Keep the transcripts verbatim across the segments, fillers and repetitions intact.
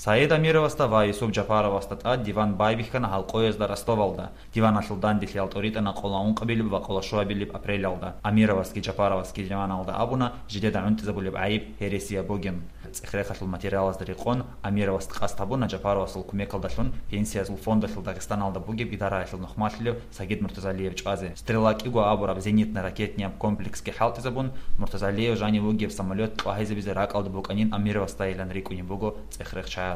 Саид Амировасда ва Юсуп Жапаровасда тӀад диван байбихьана гьалкъоязда Ростовалда. Диваналъул данделъиялда тӀоритӀана къоло ункъабилеб ва къоло щуабилеб апрелалда. Амировасги Жапаровасги диваналда абуна жидеда гӀунтӀизабулеб гӀайиб гьересияб бугин. ЦӀехрехалъул материалазда рекъон, Амировас къасд гьабуна Жапаровасул кумекалдалъун Пенсиязул фондалъул Дагъистаналда бугеб идараялъул нухмалъилев Сагид Муртазалиев чӀвазе. «Стрела» кӀиго абураб зенитно-ракетнияб комплексги хӀалтӀизабун, Муртазалиев жанив вугеб самолет тӀагьизабизе ракӀалда букӀанин Амировасдайилан рикӀкӀунеб буго цӀехрехчагьаз.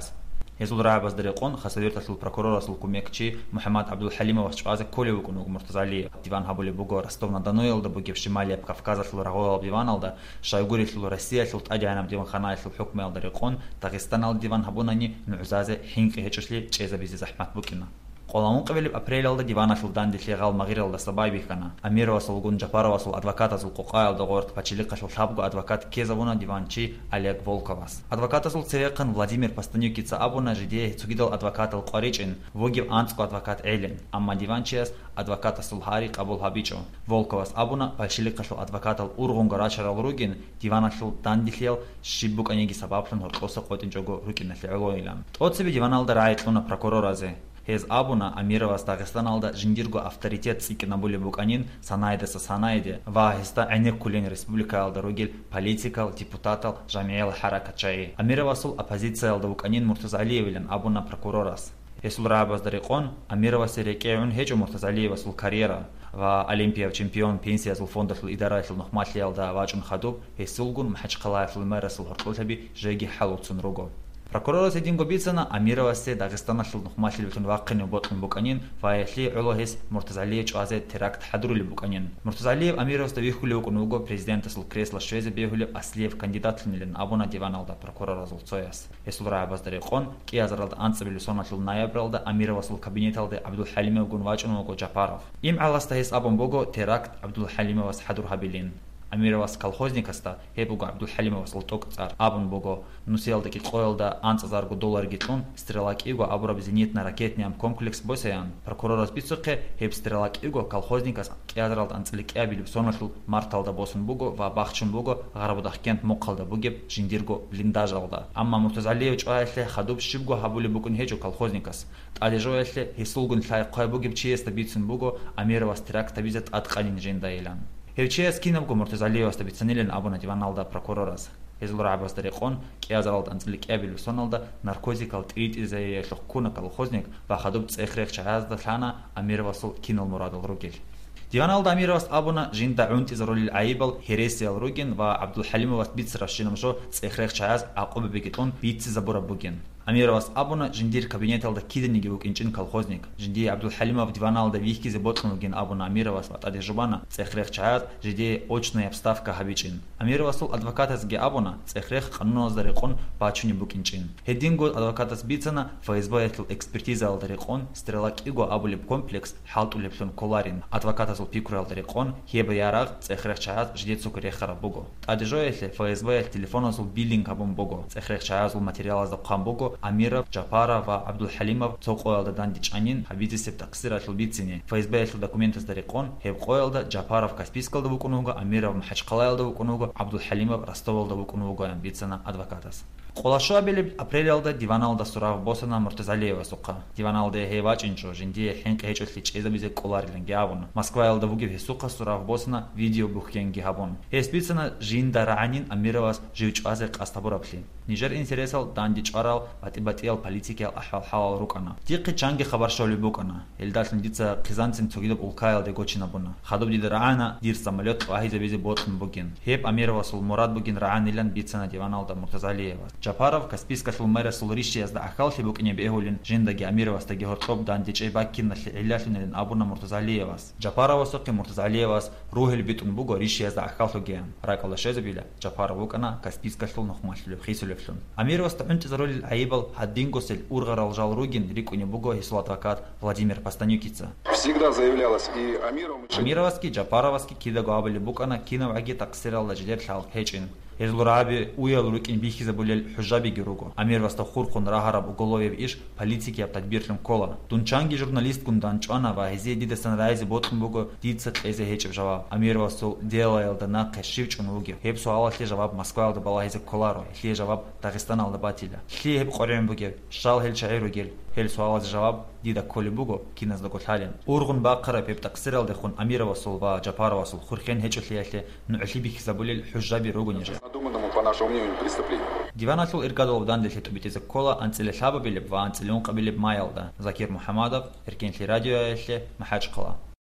Гьезул рагӀабазда рекъон Хасавюрталъул прокурорасул кумекчи МухӀаммад ГӀабдулхӀалимовас чӀвазе кколев вукӀун вуго Муртазалиев. Диван гьабулеб буго Ростов-на-Доноялда бугеб Шималияб Кавказалъул рагъулалъул диваналда, щайгурелъул Россиялъул тӀадегӀанаб диванханаялъул хӀукмуялда рекъон Дагъистаналда диван гьабунани нугӀзазе хӀинкъи гьечӀолъи чӀезабизе захӀмат букӀина. Къоло ункъабилеб апрелалда диваналъул данделъи гъал магъиралдаса байбихьана. Амировасулгун Жапаровасул адвокатазул къокъаялда гъоркь пачалихъалъул лъабго адвокат ккезабуна диванчи Олег Волковас. Адвокатазул цевехъан Владимир Постанюкица абуна жидее цогидал адвокатал къваричӀин, вугев анцӀго адвокат гӀелин, амма диванчияс адвокатасул гьари къабул гьабичӀо. Волковас абуна, пачалихъалъул адвокатал ургъунго рачарал ругин, диваналъул данделъиял щиб букӀаниги сабаблъун гьоркьоса къотӀинчӀого рукӀиналъе гӀолойилан. ТӀоцебе диваналда рагӀи кьуна прокуроразе. Гьез абуна, Амировас Дагъистаналда жиндирго авторитет цӀикӀкӀинабулеб букӀанин санайдаса санайде ва гьесда гӀенеккулин республикаялда ругел политикал, депутатал, жамигӀиял хӀаракатчагӀи. Амировасул оппозициялда вукӀанин Муртазалиевилан абуна прокурорас. Гьесул рагӀабазда рекъон, Амировасе рекӀегӀун гьечӀо Муртазалиевасул карьера ва олимпияб чемпион Пенсиязул фондалъул идараялъул нухмалъиялда вачӀун хадуб, гьесулгун МахӀачхъалаялъул мэрасул гьоркьолъаби жеги хӀалуцун руго. Прокурорас гьединго бицана, Амировасе Дагъистаналъул нухмалъилбилъун вахъинев бокьун букӀанин ва гьелъие гӀоло гьес Муртазалие чӀвазе теракт хӀадурулеб букӀанин. Муртазалиев Амировасда вихьулев вукӀун вуго президентасул кресло щвезе бегьулев аслияб кандидатлъунилан абуна диваналда прокуроразул цояс. Гьесул рагӀабазда рекъон, кӀиазаралда анцӀабилеб соналъул ноябралда Амировасул кабинеталде ГӀабдулхӀалимовгун вачӀун вуго Жапаров. ИмгӀаласда гьес абун буго теракт ГӀабдулхӀалимовас хӀадур гьабилин. Амировас колхозникасда, гьеб буго ГӀабдулхӀалимовасул тӀокӀцӀар, абун буго, нусиялда кӀикъоялда анцӀазарго долларги кьун, «Стрела» кӀиго абураб зенитно-ракетнияб комплекс босаян. Прокурорас бицухъе, гьеб «Стрела» кӀиго колхозникас кӀиазаралда анцӀила кӀиабилеб соналъул марталда босун буго ва бахчун буго Гъарабудахъкент мухъалда бугеб жиндирго блиндажалда. Амма Муртазалиев чӀваялъе хадуб щибго гьабулеб букӀун гьечӀо колхозникас. ТӀаде жоялъе гьесулгун лъай-хъвай бугеб чиясда бицун буго Амировас теракт гьабизе тӀадкъанин жиндайилан. Гьев чияс кинабго Муртазалиевасда бицанилан абуна диваналда прокурорас. Гьезул рагӀабазда рекъон, кӀиазаралда анцӀила кӀиабилеб соналда наркотикал тӀиритӀизариялъухъ ккуна колхозник ва хадуб цӀех-рех чагӀазда лъана Амировасул кинал мурадал ругел. Диваналда Амировас абуна, жинда гӀунтӀизарулел гӀайибал гьересиял ругин ва ГӀабдулхӀалимовас бицарабщинаб жо цӀех-рех чагӀаз гӀакъубабиги кьун бицизабураб бугин. Амировас абуна, жиндир кабинеталда киданиги вукӀинчӀин колхозник. Жиндие ГӀабдулхӀалимов диваналда вихьизе бокьун вугин абуна Амировас ва тӀаде жубана цӀех-рех чагӀаз жидее очная вставка гьабичӀин. Амировасул адвокатазги абуна, цӀех-рех къануналазда рекъон бачунеб букӀинчӀин. Гьединго адвокатас бицана, ФСБ-ялъул экспертизаялда рекъон «Стрела» кӀиго абулеб комплекс хӀалтӀулеблъун кколарин. Адвокатазул пикруялда рекъон, гьеб ярагъ цӀех-рех чагӀаз жидецаго рехараб буго. ТӀаде жоялъе ФСБ-ялъ телефоназул биллинг гьабун буго. ЦӀех-рех чагӀазул материалазда хъван буго Амиров, Жапаров ва ГӀабдулхӀалимов цо къоялда дандечӀанин гьабизесеб такъсиралъул бицине. ФСБ-ялъул документазда рекъон, гьеб къоялда Жапаров Каспийскалда вукӀун вуго, Амиров МахӀачхъалаялда вукӀун вуго, ГӀабдулхӀалимов Ростовалда вукӀун вугоян бицана адвокатас. Къоло щуабилеб апрелалда диваналда сурав босана Муртазалиевасухъа. Диваналде гьев вачӀинчӀо, жиндие хӀинкъи гьечӀолъи чӀезабизе кӀолариланги абун. Москваялда вугев гьесухъа сурав босана видеобухьенги гьабун. Гьес бицана жинда рагӀанин Амировас жив чӀвазе къасд гьабураблъи. Нижер интересал данде чӀварал батӀи-батӀиял политикиял ахӀвал-хӀалал рукӀана. Дихъе чанги хабар щолеб букӀана. Гьелдалъун дица хъизанцин цогидаб улкаялде гочинабуна. Хадуб дида рагӀана дир самолет тӀагьизабизе бокьун бугин. Гьеб Амировасул мурад бугин рагӀанилан бицана диваналда Муртазалиевас. Жапаров Каспийскалъул мэрасул ришиязда гӀахьаллъи букӀине бегьулин, жиндаги Амировасдаги гьоркьоб дандечӀей баккиналъе гӀиллалъунилин абуна Муртазалиевас. Жапаровасухъе Муртазалиевас ругьел битӀун буго ришиязда гӀахьаллъугеян. РакӀалда щвезабила, Жапаров вукӀана Каспийскалъул нухмалъулев хисулевлъун. Амировасда гӀунтӀизарулел гӀайибал гьадингосел ургъарал жал ругин рикӀкӀунеб буго гьесул адвокат Владимир Постанюкица. Всегда заявлялось и Амировым, и Амировасги Жапаровасги кидаго абулеб букӀана кинавгӀаги такъсиралда жидер лъалкӀ гьечӀин. Гьезул рагӀаби уял рукӀин бихьизабулел хӀужабиги руго. Амировасда хурхун рагьараб уголовияб иш полицияяб тадбирлъун ккола. Дун чанги журналистгун данчӀвана ва гьезие дидасан райзе бокьун буго дица кьезе гьечӀеб жаваб. Амировасул делаялда нахъе щив чӀун вугев? Гьеб суалалъе жаваб Москваялда балагьизе кколаро, гьелъие жаваб Дагъистаналда батила. Лъие гьеб къваригӀун бугеб? Щал гьел чагӀи ругел? Гьел суалазе жаваб дида кколеб буго киназдаго лъалин. Ургъун бахъараб гьеб такъсиралдехун Амировасул ва Жапаровасул хурхен гьечӀолъиялъе нугӀлъи бихьизабулел хӀужаби руго нижер. Задуманному, по нашему мнению, преступлению. Диваналъул иргадалъуб данделъи тӀубитӀизе ккола анцӀила лъабабилеб ва анцӀила ункъабилеб маялда. Закир МухӀамадов, Эркенлъи радиоялъе, МахӀачхъала.